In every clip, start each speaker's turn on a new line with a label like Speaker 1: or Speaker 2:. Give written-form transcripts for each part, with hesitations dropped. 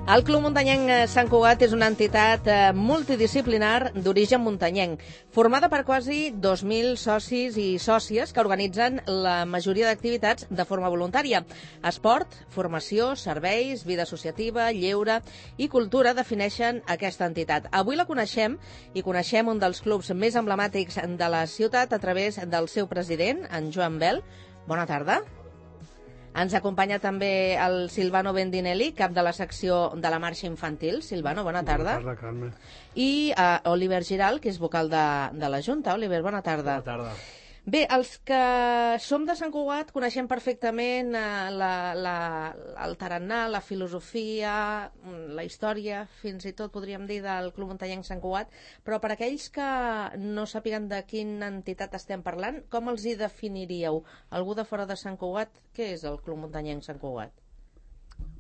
Speaker 1: El Club Muntanyenc Sant Cugat és una entitat multidisciplinar d'origen muntanyenc, formada per quasi 2.000 socis i sòcies que organitzen la majoria d'activitats de forma voluntària. Esport, formació, serveis, vida associativa, lleure i cultura defineixen aquesta entitat. Avui la coneixem i coneixem un dels clubs més emblemàtics de la ciutat a través del seu president, en Joan Bel. Bona tarda. Ens acompanya també el Silvano Bendinelli, cap de la secció de la marxa infantil. Silvano, bona tarda.
Speaker 2: Bona tarda, Carme.
Speaker 1: I Oliver Giral, que és vocal de la Junta. Oliver, bona tarda.
Speaker 2: Bona tarda.
Speaker 1: Bé, els que som de Sant Cugat coneixem perfectament el tarannà, la filosofia, la història, fins i tot podríem dir, del Club Muntanyenc Sant Cugat, però per aquells que no sàpiguen de quina entitat estem parlant, com els hi definiríeu? Algú de fora de Sant Cugat, què és el Club Muntanyenc Sant Cugat?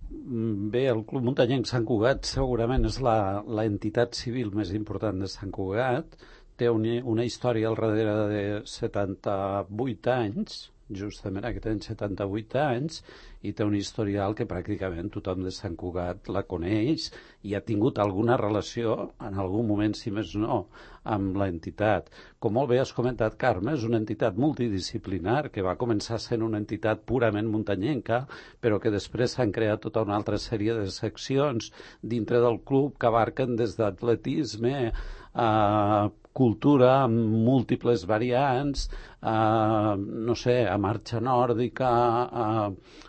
Speaker 3: Bé, el Club Muntanyenc Sant Cugat segurament és l'entitat civil més important de Sant Cugat. Té una història al darrere de 78 anys, justament aquest any 78 anys, i té un historial que pràcticament tothom de Sant Cugat la coneix i ha tingut alguna relació, en algun moment, si més no, amb l'entitat. Com molt bé has comentat, Carme, és una entitat multidisciplinar que va començar sent una entitat purament muntanyenca, però que després s'han creat tota una altra sèrie de seccions dintre del club que abarquen des d'atletisme a cultura amb múltiples variants, no sé, a marxa nòrdica,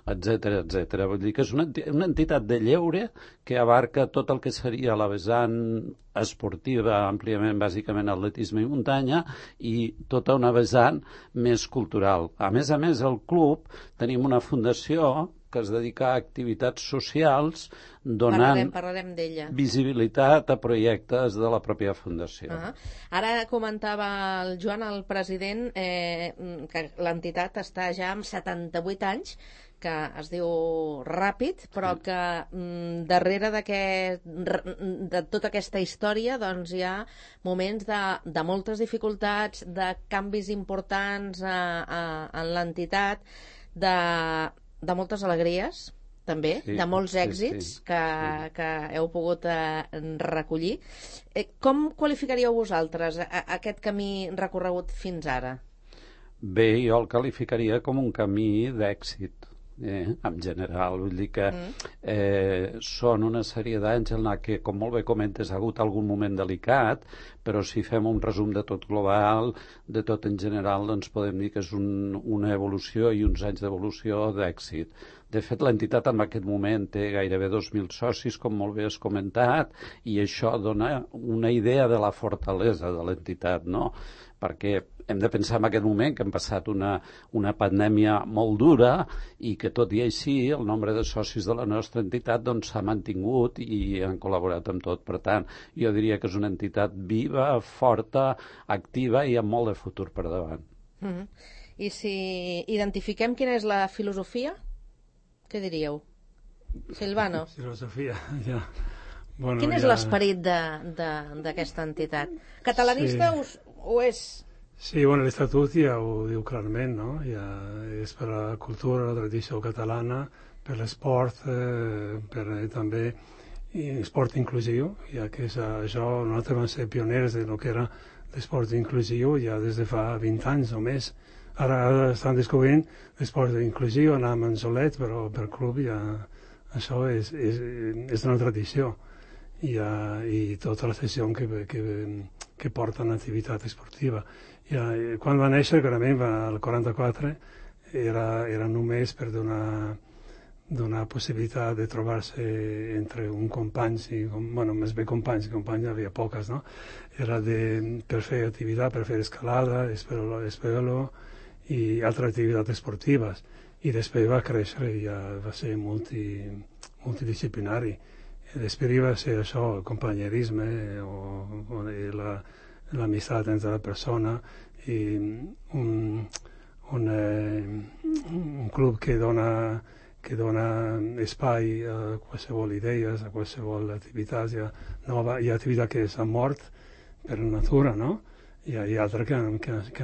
Speaker 3: etcètera, etcètera. Vull dir que és una entitat de lleure que abarca tot el que seria la vessant esportiva, àmpliament, bàsicament, atletisme i muntanya, i tota una vessant més cultural. A més, el club tenim una fundació que es dedica a activitats socials donant
Speaker 1: Parlarem d'ella.
Speaker 3: Visibilitat a projectes de la pròpia fundació.
Speaker 1: Ara comentava el Joan, el president, que l'entitat està ja amb 78 anys, que es diu ràpid, però que darrere de tota aquesta història doncs hi ha moments de moltes dificultats, de canvis importants en l'entitat, de moltes alegries, també, de molts èxits que heu pogut recollir. Com qualificaríeu vosaltres aquest camí recorregut fins ara?
Speaker 3: Bé, jo el qualificaria com un camí d'èxit, en general. Vull dir que són una sèrie d'anys en què, com molt bé comentes, ha hagut algun moment delicat, però si fem un resum de tot global, de tot en general, doncs podem dir que és una evolució i uns anys d'evolució d'èxit. De fet, l'entitat en aquest moment té gairebé 2.000 socis, com molt bé has comentat, i això dona una idea de la fortalesa de l'entitat, no? Perquè hem de pensar en aquest moment que hem passat una pandèmia molt dura i que tot i així el nombre de socis de la nostra entitat doncs s'ha mantingut i han col·laborat amb tot. Per tant, jo diria que és una entitat viva, forta, activa i amb molt de futur per davant.
Speaker 1: I si identifiquem quina és la filosofia, què diríeu? Silvano?
Speaker 2: Filosofia, ja. Bueno,
Speaker 1: quin és l'esperit d'aquesta entitat? Catalanista o és?
Speaker 2: Sí, bueno, l'Estatut ja ho diu clarament, no? Ja és per la cultura, la tradició catalana, per l'esport, per també esport inclusiu, ja que és això, nosaltres vam ser pioners de lo que era l'esport inclusiu ja des de fa 20 anys o més. Ara estan descobrint l'esport inclusiu, anàvem en solet, però per club ja això és una tradició. I tota la sessió que porta l'activitat esportiva. Quan va néixer, clarament, el 44, era només per donar possibilitat de trobar-se entre un companys, més bé companys hi havia poques, no? Era per fer activitat, per fer escalada, espeló i altres activitats esportives. I després va créixer i ja va ser multidisciplinari. Després va ser això, el companyerisme o l'amistat entre la persona i un club que dona espai a qualsevol idees, a qualsevol activitat. Hi ha activitats que s'han mort per natura, no? I hi ha altres que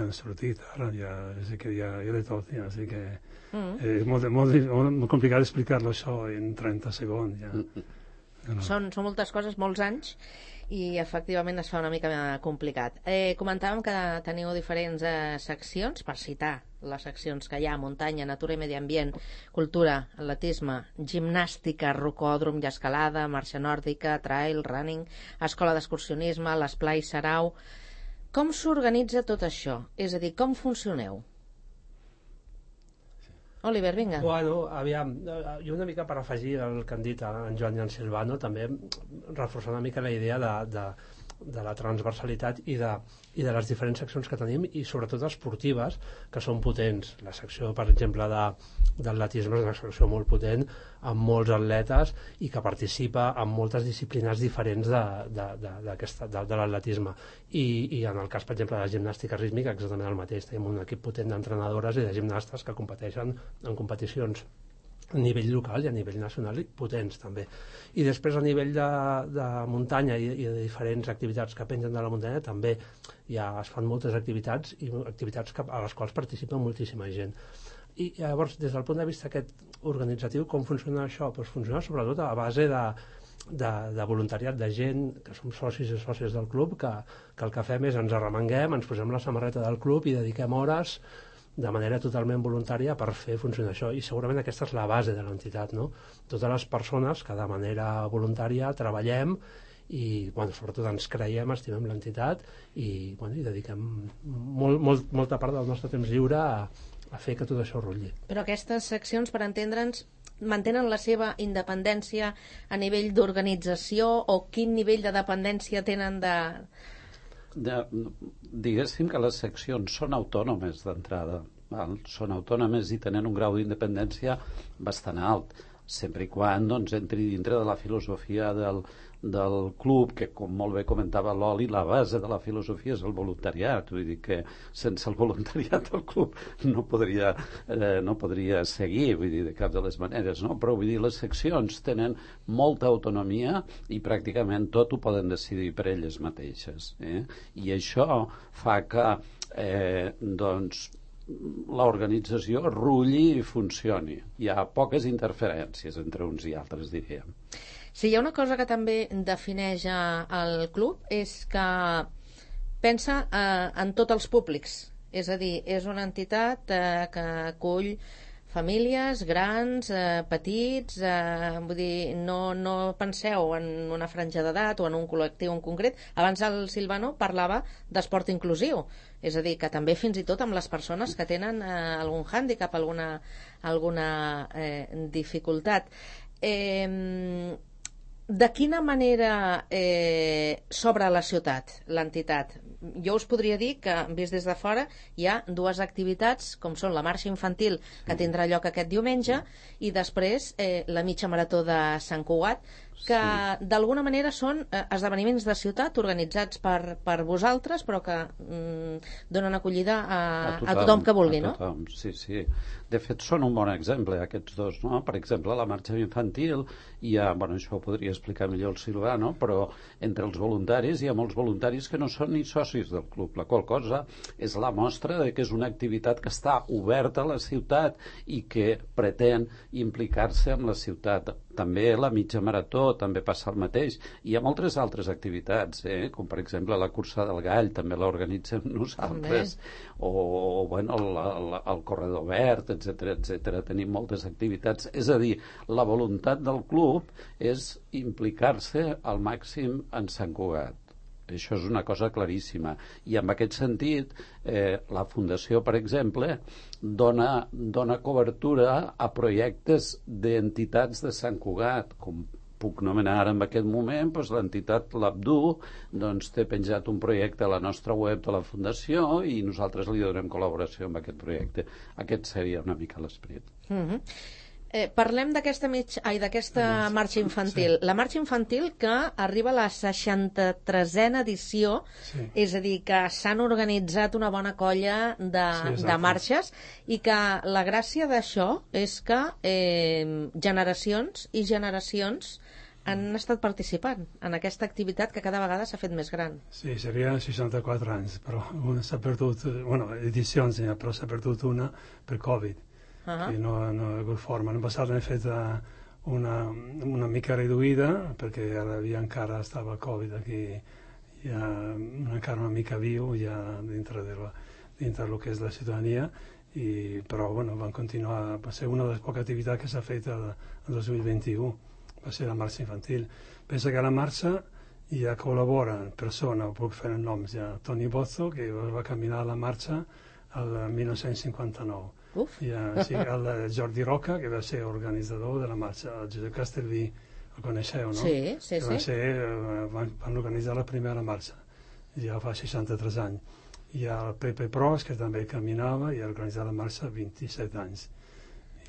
Speaker 2: han sortit ara, hi ha de tot, així que és molt complicat explicar-lo això en 30 segons, ja. No.
Speaker 1: Són moltes coses, molts anys, i efectivament es fa una mica complicat. Comentàvem que teniu diferents seccions, per citar les seccions que hi ha: muntanya, natura i medi ambient, cultura, atletisme, gimnàstica, rocòdrom i escalada, marxa nòrdica, trail, running, escola d'excursionisme, l'esplai Sarau. Com s'organitza tot això? És a dir, com funcioneu? Oliver, vinga.
Speaker 4: Bueno, aviam, jo una mica per afegir el que han dit en Joan i en Silvano, també reforçar una mica la idea de la transversalitat i de les diferents seccions que tenim, i sobretot esportives, que són potents. La secció, per exemple, d'atletisme és una secció molt potent, amb molts atletes, i que participa en moltes disciplines diferents de l'atletisme. I en el cas, per exemple, de la gimnàstica rítmica, exactament el mateix. Tenim un equip potent d'entrenadores i de gimnastes que competeixen en competicions a nivell local i a nivell nacional, i potents també. I després, a nivell de muntanya i de diferents activitats que pengen de la muntanya, també es fan moltes activitats, i activitats a les quals participa moltíssima gent. I llavors, des del punt de vista aquest organitzatiu, com funciona això? Doncs funciona sobretot a base de voluntariat, de gent que som socis i sòcies del club, que el que fem és ens arremanguem, ens posem la samarreta del club i dediquem hores de manera totalment voluntària per fer funcionar això, i segurament aquesta és la base de l'entitat, no? Totes les persones que de manera voluntària treballem i sobretot ens creiem, estimem l'entitat, i dediquem molta part del nostre temps lliure a fer que tot això rotlli.
Speaker 1: Però aquestes seccions, per entendre'ns, mantenen la seva independència a nivell d'organització, o quin nivell de dependència tenen
Speaker 3: diguéssim que les seccions són autònomes d'entrada, són autònomes i tenen un grau d'independència bastant alt, sempre i quan entri dintre de la filosofia del club, que, com molt bé comentava l'Oli, la base de la filosofia és el voluntariat. Vull dir que sense el voluntariat el club no podria seguir, vull dir, de cap de les maneres, no? Però vull dir, les seccions tenen molta autonomia i pràcticament tot ho poden decidir per elles mateixes, i això fa que l'organització rulli i funcioni. Hi ha poques interferències entre uns i altres, diríem.
Speaker 1: Sí, hi ha una cosa que també defineix el club, és que pensa en tots els públics. És a dir, és una entitat que acull famílies, grans, petits, vull dir, no penseu en una franja d'edat o en un col·lectiu en concret. Abans el Silvano parlava d'esport inclusiu, és a dir, que també fins i tot amb les persones que tenen algun hàndicap, alguna dificultat. De quina manera s'obre a la ciutat l'entitat? Jo us podria dir que, vist des de fora, hi ha dues activitats, com són la marxa infantil, que tindrà lloc aquest diumenge, i després la mitja marató de Sant Cugat, que d'alguna manera són esdeveniments de ciutat organitzats per vosaltres, però que donen acollida a tothom que vulgui, no?
Speaker 3: Sí. De fet, són un bon exemple, aquests dos, no? Per exemple, la marxa infantil, això ho podria explicar millor el Silvano, però entre els voluntaris hi ha molts voluntaris que no són ni socis del club, la qual cosa és la mostra de que és una activitat que està oberta a la ciutat i que pretén implicar-se amb la ciutat. També la mitja marató també passa el mateix. Hi ha moltes altres activitats, com per exemple la cursa del gall, també l'organitzem nosaltres, o el corredor verd, etc. Tenim moltes activitats. És a dir, la voluntat del club és implicar-se al màxim en Sant Cugat. Això és una cosa claríssima. I en aquest sentit, la Fundació, per exemple, dona cobertura a projectes d'entitats de Sant Cugat, com puc nomenar ara en aquest moment, l'entitat l'Abdu té penjat un projecte a la nostra web de la Fundació i nosaltres li donem col·laboració amb aquest projecte. Aquest seria una mica l'esperit.
Speaker 1: Parlem d'aquesta marxa infantil. La marxa infantil que arriba a la 63a edició, és a dir, que s'han organitzat una bona colla de marxes, i que la gràcia d'això és que generacions i generacions han estat participant en aquesta activitat que cada vegada s'ha fet més gran.
Speaker 2: Sí, serien 64 anys, però s'ha perdut, edicions, però s'ha perdut una per Covid. Que no ha hagut forma. L'any passat hem fet una mica reduïda, perquè encara estava el Covid aquí, ja encara una mica viu ja dintre del que és la ciutadania, però bueno, van continuar. Va ser una de les poques activitats que s'ha fet el 2021, va ser la marxa infantil. Pensa que a la marxa ja col·laboren persones, puc fer els noms ja, Toni Bozzo, que va caminar a la marxa el 1959. Sí, el Jordi Roca, que va ser organitzador de la marxa, el Josep Castellví, el coneixeu, no?
Speaker 1: Sí.
Speaker 2: Van organitzar la primera marxa, ja fa 63 anys. I el Pepe Pros, que també caminava i ha organitzat la marxa 27 anys.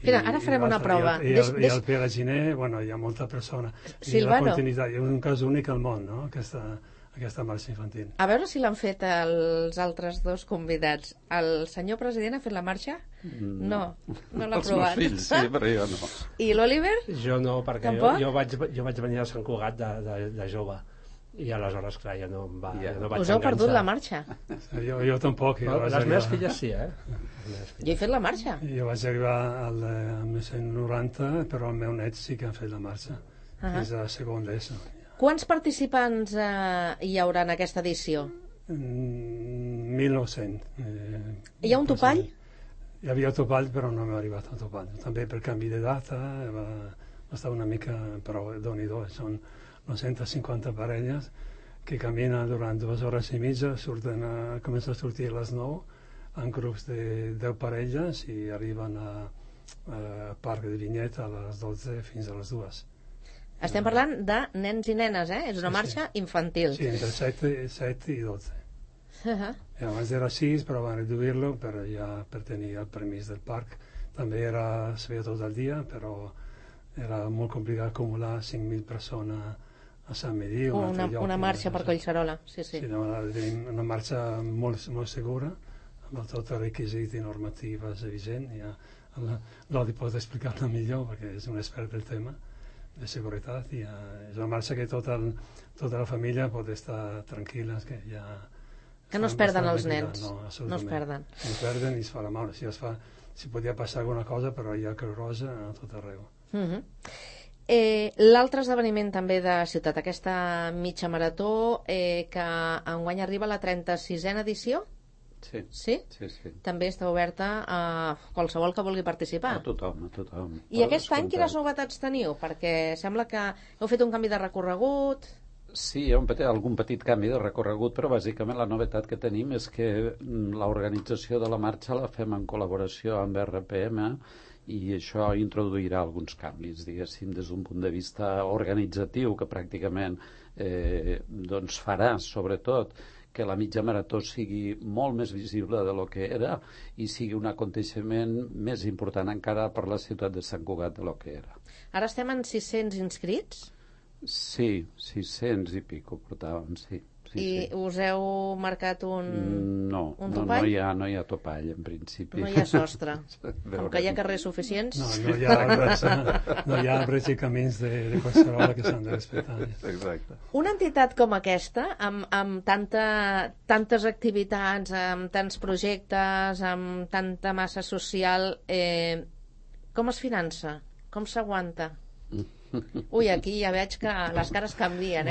Speaker 1: Mira, ara farem una prova.
Speaker 2: I el Pere Giner, bueno, hi ha molta persona.
Speaker 1: Silvano.
Speaker 2: És un cas únic al món, no?, aquesta marxa infantil.
Speaker 1: A veure si l'han fet els altres dos convidats. El senyor president ha fet la marxa? No l'ha provat.
Speaker 3: Els meus fills, sí, però jo no.
Speaker 1: I l'Oliver?
Speaker 4: Jo no, perquè
Speaker 1: Tampoc?
Speaker 4: jo vaig venir a Sant Cugat de jove. I aleshores, clar, jo no vaig
Speaker 1: Us heu perdut la marxa?
Speaker 2: Jo tampoc.
Speaker 4: Les meves filles sí,
Speaker 1: Jo he fet la marxa.
Speaker 2: Jo vaig arribar al 1990, però el meu net sí que ha fet la marxa. És a segon d'ESO.
Speaker 1: Quants participants hi haurà en aquesta edició?
Speaker 2: 1.900.
Speaker 1: Hi ha un topall?
Speaker 2: Hi havia topall, però no m'ha arribat al topall. També per canvi de data va estar una mica, però Déu-n'hi-do, són 950 parelles que caminen durant 2 hores i mitja, comencen a sortir a les 9 en grups de 10 parelles i arriben al Parc de Vinyet a les 12 fins a les 2.
Speaker 1: Estem parlant de nens i nenes, És una marxa infantil.
Speaker 2: Sí, entre 7 i 12. Abans era 6, però van reduir-lo per tenir el permís del parc. També es feia tot el dia, però era molt complicat acumular 5.000 persones a Sant Medí.
Speaker 1: Una marxa per Collserola, sí.
Speaker 2: Una marxa molt segura, amb tot el requisit i normatives vigent. L'Odi pot explicar-la millor, perquè és un expert del tema de seguretat, i és una marxa que tota la família pot estar tranquil·la,
Speaker 1: que no es perden els nens.
Speaker 2: No es perden i es fa la mà. Si podia passar alguna cosa, però hi ha Creu Roja a tot arreu.
Speaker 1: L'altre esdeveniment també de ciutat, aquesta mitja marató, que enguany arriba a la 36a edició.
Speaker 3: Sí?
Speaker 1: També està oberta a qualsevol que vulgui participar.
Speaker 3: A tothom.
Speaker 1: I aquest any quines novetats teniu? Perquè sembla que heu fet un canvi de recorregut.
Speaker 3: Sí, hi ha algun petit canvi de recorregut, però bàsicament la novetat que tenim és que l'organització de la marxa la fem en col·laboració amb RPM, i això introduirà alguns canvis, diguéssim, des d'un punt de vista organitzatiu, que pràcticament farà, sobretot, que la mitja marató sigui molt més visible de lo que era i sigui un aconteixement més important encara per la ciutat de Sant Cugat de lo que era.
Speaker 1: Ara estem en 600 inscrits?
Speaker 3: Sí, 600 i pico portàvem, sí.
Speaker 1: I us heu marcat un topall?
Speaker 3: No hi ha topall, en principi.
Speaker 1: No hi ha sostre. Com que hi ha carrers suficients...
Speaker 2: No hi ha arbres i camins de Collserola que s'han de respectar.
Speaker 3: Exacte.
Speaker 1: Una entitat com aquesta, amb tantes activitats, amb tants projectes, amb tanta massa social, com es finança? Com s'aguanta? Ui, aquí ja veig que les cares canvien,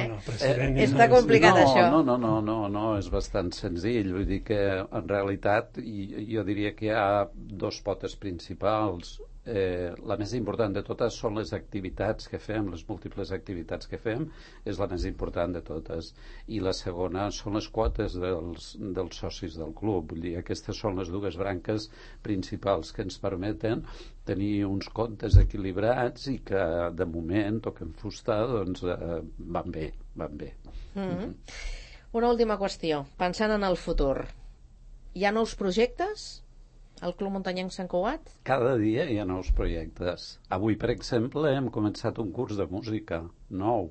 Speaker 1: Està complicat, això.
Speaker 3: No, és bastant senzill. Vull dir que, en realitat, jo diria que hi ha 2 potes principals. La més important de totes són les activitats que fem, les múltiples activitats que fem, és la més important de totes. I la segona són les quotes dels socis del club. Vull dir, aquestes són les 2 branques principals que ens permeten tenir uns comptes equilibrats i que, de moment, toquem fusta, doncs van bé.
Speaker 1: Una última qüestió. Pensant en el futur, hi ha nous projectes? Al Club Muntanyenc Sant Cugat?
Speaker 3: Cada dia hi ha nous projectes. Avui, per exemple, hem començat un curs de música nou.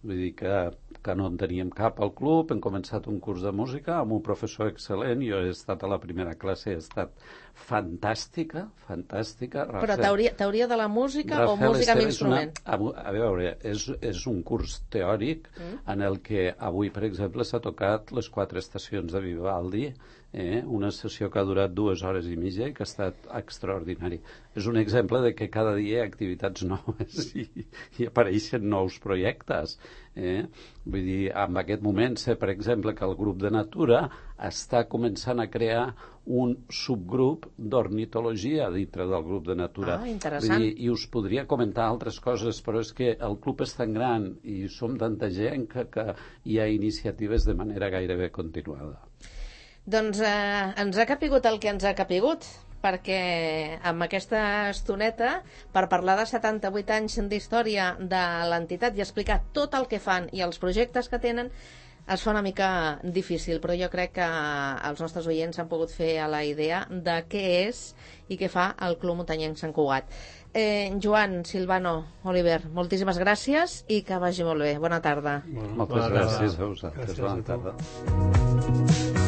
Speaker 3: Vull dir que no en teníem cap al club, hem començat un curs de música amb un professor excel·lent. Jo he estat a la primera classe, he estat fantàstica.
Speaker 1: Però teoria de la música o música amb instrument?
Speaker 3: A veure, és un curs teòric en el que avui, per exemple, s'ha tocat les 4 estacions de Vivaldi una sessió que ha durat 2 hores i mitja i que ha estat extraordinari. És un exemple de que cada dia hi ha activitats noves i apareixen nous projectes. Vull dir, en aquest moment sé, per exemple, que el grup de Natura està començant a crear un subgrup d'ornitologia dintre del grup de Natura.
Speaker 1: Interessant.
Speaker 3: Vull dir, i us podria comentar altres coses, però és que el club és tan gran i som tanta gent que hi ha iniciatives de manera gairebé continuada.
Speaker 1: Doncs ens ha capigut el que ens ha capigut, perquè amb aquesta estoneta, per parlar de 78 anys d'història de l'entitat i explicar tot el que fan i els projectes que tenen, es fa una mica difícil, però jo crec que els nostres oients han pogut fer a la idea de què és i què fa el Club Muntanyenc Sant Cugat. Joan, Silvano, Oliver, moltíssimes gràcies i que vagi molt bé. Bona tarda.
Speaker 3: Moltes gràcies a vosaltres. Bona tarda.